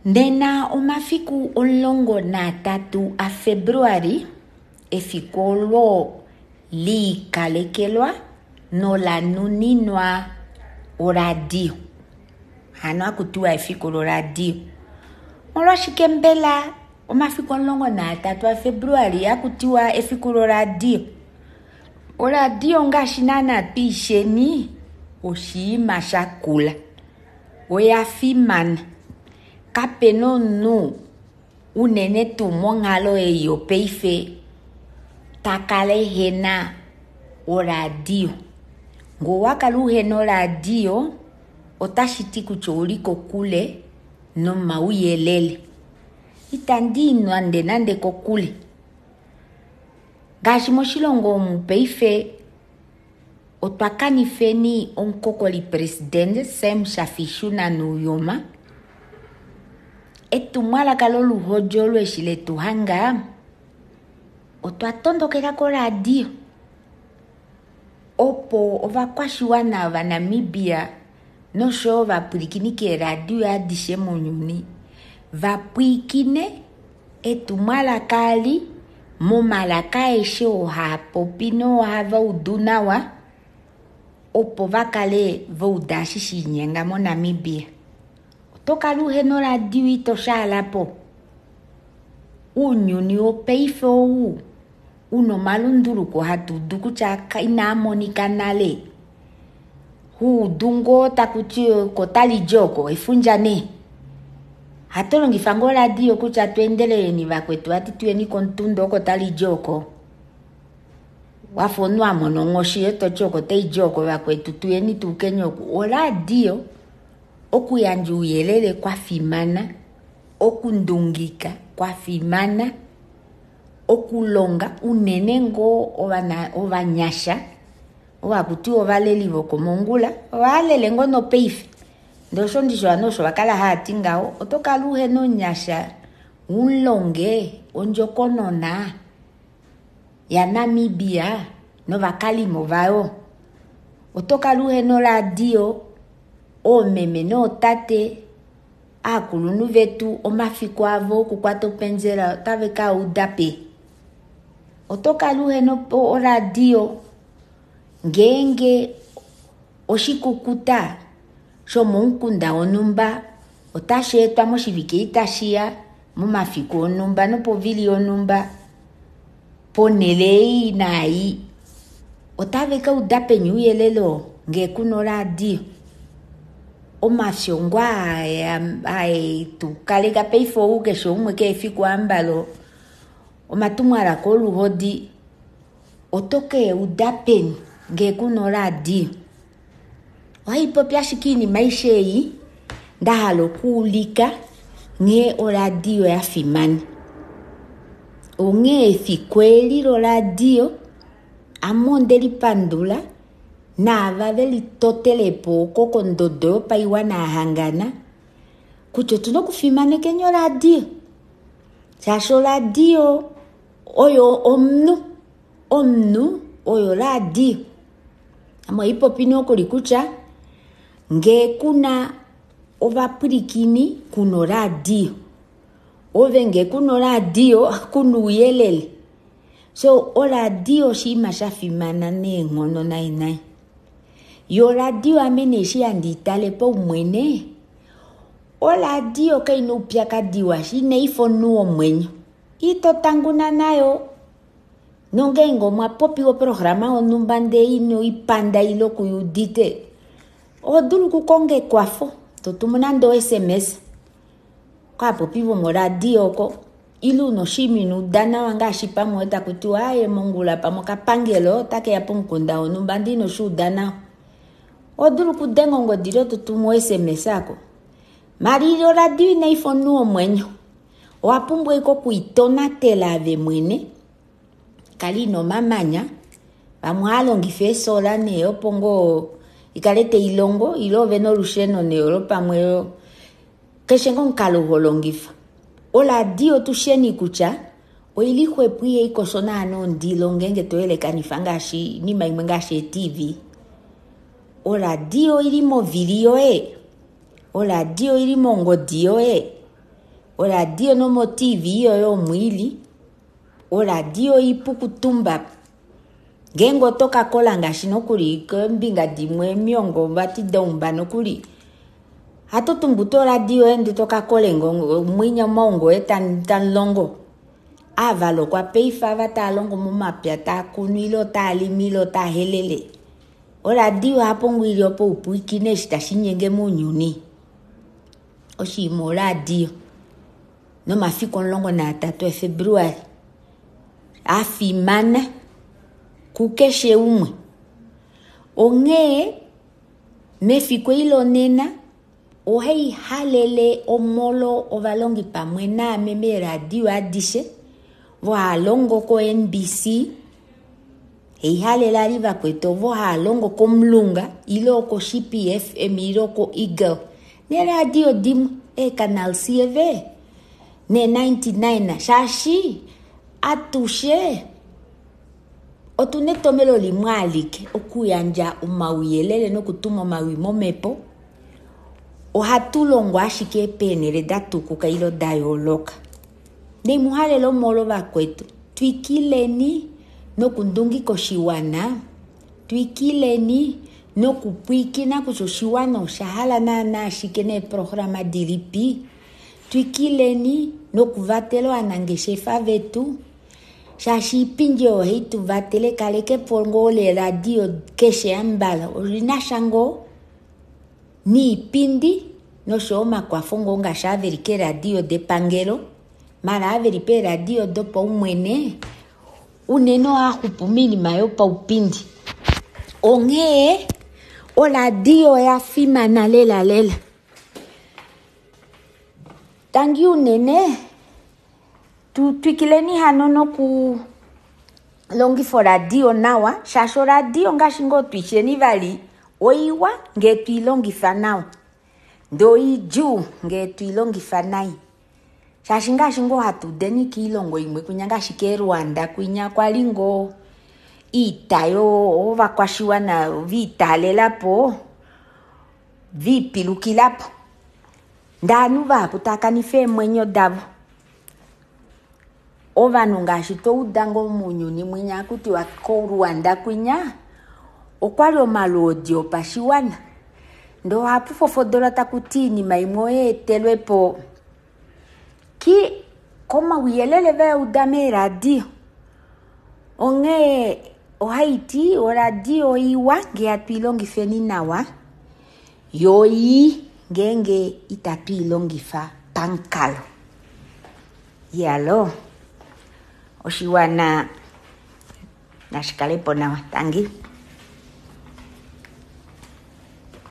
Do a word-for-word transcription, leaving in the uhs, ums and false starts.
Nena omafiku omulongo naatatu aFebruali, efiku olo liikalekelwa nola nuninwa oradio. Hano hakutiwa efiku loradio. Omolwashike mbela omafiku omulongo naatatu aFebruali hakutiwa efiku loradio? Oradio ngaashi naana twiisheni oshinima shakula, oya fimana. Kapena omunhu unene tuu monghalo ei yopaife takala ehena oradio. Ngee owakala uhena oradio otashiti kutya ouli kokule nomauyelele. Itandii nande nande kokule, ngaashi moshilongo omu paife otwa kanifeni omukokoli president Sam Shafiishuna Nuuyoma. Etumwalaka loluhodi olo eshi letuhanga otwa tondokela koradio opo ovakwashiwana ovanamibia noshoyo ovapwilikini keeradio adishe mounyuni vapwilikine etumwalaka eli momalaka aeshe oo haapopi nohava udu nawa opo vakale vauda eshi shalinyenga moNamibia. Oto kala uhena oradio ito shaalapo. Ounyuni wopaife ou una omalunduluko hatuudu kutya inaamonika nale, huudu ngoo takuti oko talidi oko efundja nee. Ohatulongifa ngoo oradio kutya tweendeleleni vakwetu vati tuyeni komutunda oko talidi oko, wafa omunhu amona onghoshi yoo toti oko taidi oko vakwetu tuyeni tuukeni oku. Oradio okuyandja ouyelele kwafimana, okundungika kwafimana, okulonga unene ngoo ovanyasha ovo hakutiwa ovaleli vokomongula ovalele ngoo nopaife ndee osho ndishi ovanhu osho vakala haati ngaho. Oto kala uhena omunyasha umulonge ondjokonona yaNamibia novakalimo vayo. Oto kala uhena oradio oomeme nootate aakulunhu vetu omafiku avo okukwata openzela otave kauda peni. Oto kala uhena oradio ngeenge oshikukuta shomomukunda wonhumba otashi etwa moshivike eshi tashiya momafiku onhumba nopovili yonhumba ponele ei naai, otave kauda peni ouyelele oo ngee kuna oradio. Omafyo ngoo haetukaleka paife ou keshe umwe keshe efiku ambala omatumwalaka oluhodi oto keuda peni ngee kuna oradio. Ohaipopi ashike oinima aishe ei ndahala okuulika nghee oradio yafimana. Onghee efiku eli loradio ame ondelipandula naava velitotelepo oko kondodo yopaiwana yahangana kutya otuna okufimanekeni oradio shaashi oradio oyo omunhu, omunhu oyo oradio. Ame ohaipopi nokuli kutya ngee kuna ovapwilikini kuna oradio, ove ngee kuna oradio kuna ouyelele. So oradio oshinima shafimana neenghono nai nai. Yoo oradio ame nee eshi handi itale paumwene, oradio kaina oupyakadi washa inaifa omunhu womwenyo, ito tanguna nayo nongeenge omwa popiwa oprograma yonhumba ndee inoipanda ile kuyuudite oho dulu okukonga ekwafo totumu nande o S M S kaapopi vomoradio oko, ile una oshinima ino uda nawa ngaashi pamwe takutiwa aaye mongula pamwe okapangelo otakeya pomukunda wonhumba ndee inoshuuda nawa, oho dulu okudenga ongodi ile totumu o S M S ako. Maala oradio inaifa omunhu womwenyo, owapumbwa ashike okuitonatela ove mwene, kala ina omamanya, vamwe ohaalongifa eesola nee opo ngoo ikale tailongo ile ovena olusheno nee olo pamwe keshe ngoo omukalo holongifa. Oradio tusheni kutya oili xwepo ihaikosho naana ondilo ngeenge toyelekanifa ngaashi oinima imwe ngaashi ee T V. Oradio oili movili yoye, oradio oili mongodi yoye, Oradio nomo-T V yoye omwiili, oradio ipu kutumba. Ngeenge oto ka kola ngaashi nokuli kombinga dimwe miongo vati daumba nokuli, hatu tumbu to oradio yoye ndee toka kole mwinya omaungo oye tamulongo. Avalokwa paife ava tava longo momapya taa kunu ile otaa limi ile otaa helele. Oradio ohapo ngoo ili opo upwiikine eshi tashi nyenge mounyuni. Oshinima oradio nomafiku omulongo naatatu aFebruali afimana kukeshe umwe. Onghee mefiku eli lonena ohai halele omolo ovalongi pamwe naame meeradio adishe ovo hava longo ko-N B C, haihalele ali vakwetu ovo hava longo komulunga ile oko-Shipi F M ile oko-Eagle neeradio dimwe eecanal C V ne ninety-nine shaashi atushe otuna etomelo limwe alike okuyandja omauyelele nokutuma omawi momhepo. Ohatu longo ashike peenhele da tukuka ile da yooloka. Neimuhalele omolo vakwetu, twikileni nokundungika oshiwana, twikileni nokupwiikina kutya oshiwana osha hala naana ashike neeprograma dilipi, twikileni nokuvatela ovanangeshefa vetu, shaashi iipindi oyo ohai tu vatele kalekepo ngoo leradio keshe ambala olina sha ngoo niipindi noshoyo omakwafo ngoo ngaashi ava veli keeradio depangelo, mala ava veli peeradio dopaumwene unene ohaa xupu moinima yopaupindi. Onghee oradio oya fimana lela lela. Tangi unene tu twikileni hano noku longifa oradio nawa, shaashi oradio ngaashi ngoo twisheni vali oiwa ngee twiilongifa nawa, ndee oidjuu ngee twiilongifa nai. Shaashi ngaashi ngoo hatu udeni kiilongo imwe kwinya ngaashi keRwanda kwinya kwali ngoo iita ovakwashiwana viitalelapo viipilukilapo, ndee ovanhu vahapu tava kanifa eemwenyo davo. Ovanhu ngaashi touda ngoo mounyuni mwinya hakutiwa koRwanda kwinya okwali omalwoodi opashiwana, ndee ohapu fofodolwa takuti iinima imwe oyeetelwepo ki komauyelele vauda meeradio. Onghee ohaiti oradio oiwa ngee hatu ilongifeni nawa, yo ii ngeenge itatu ilongifa pamukalo. Yalo oshiwana nashi kalepo nawa. Tangi.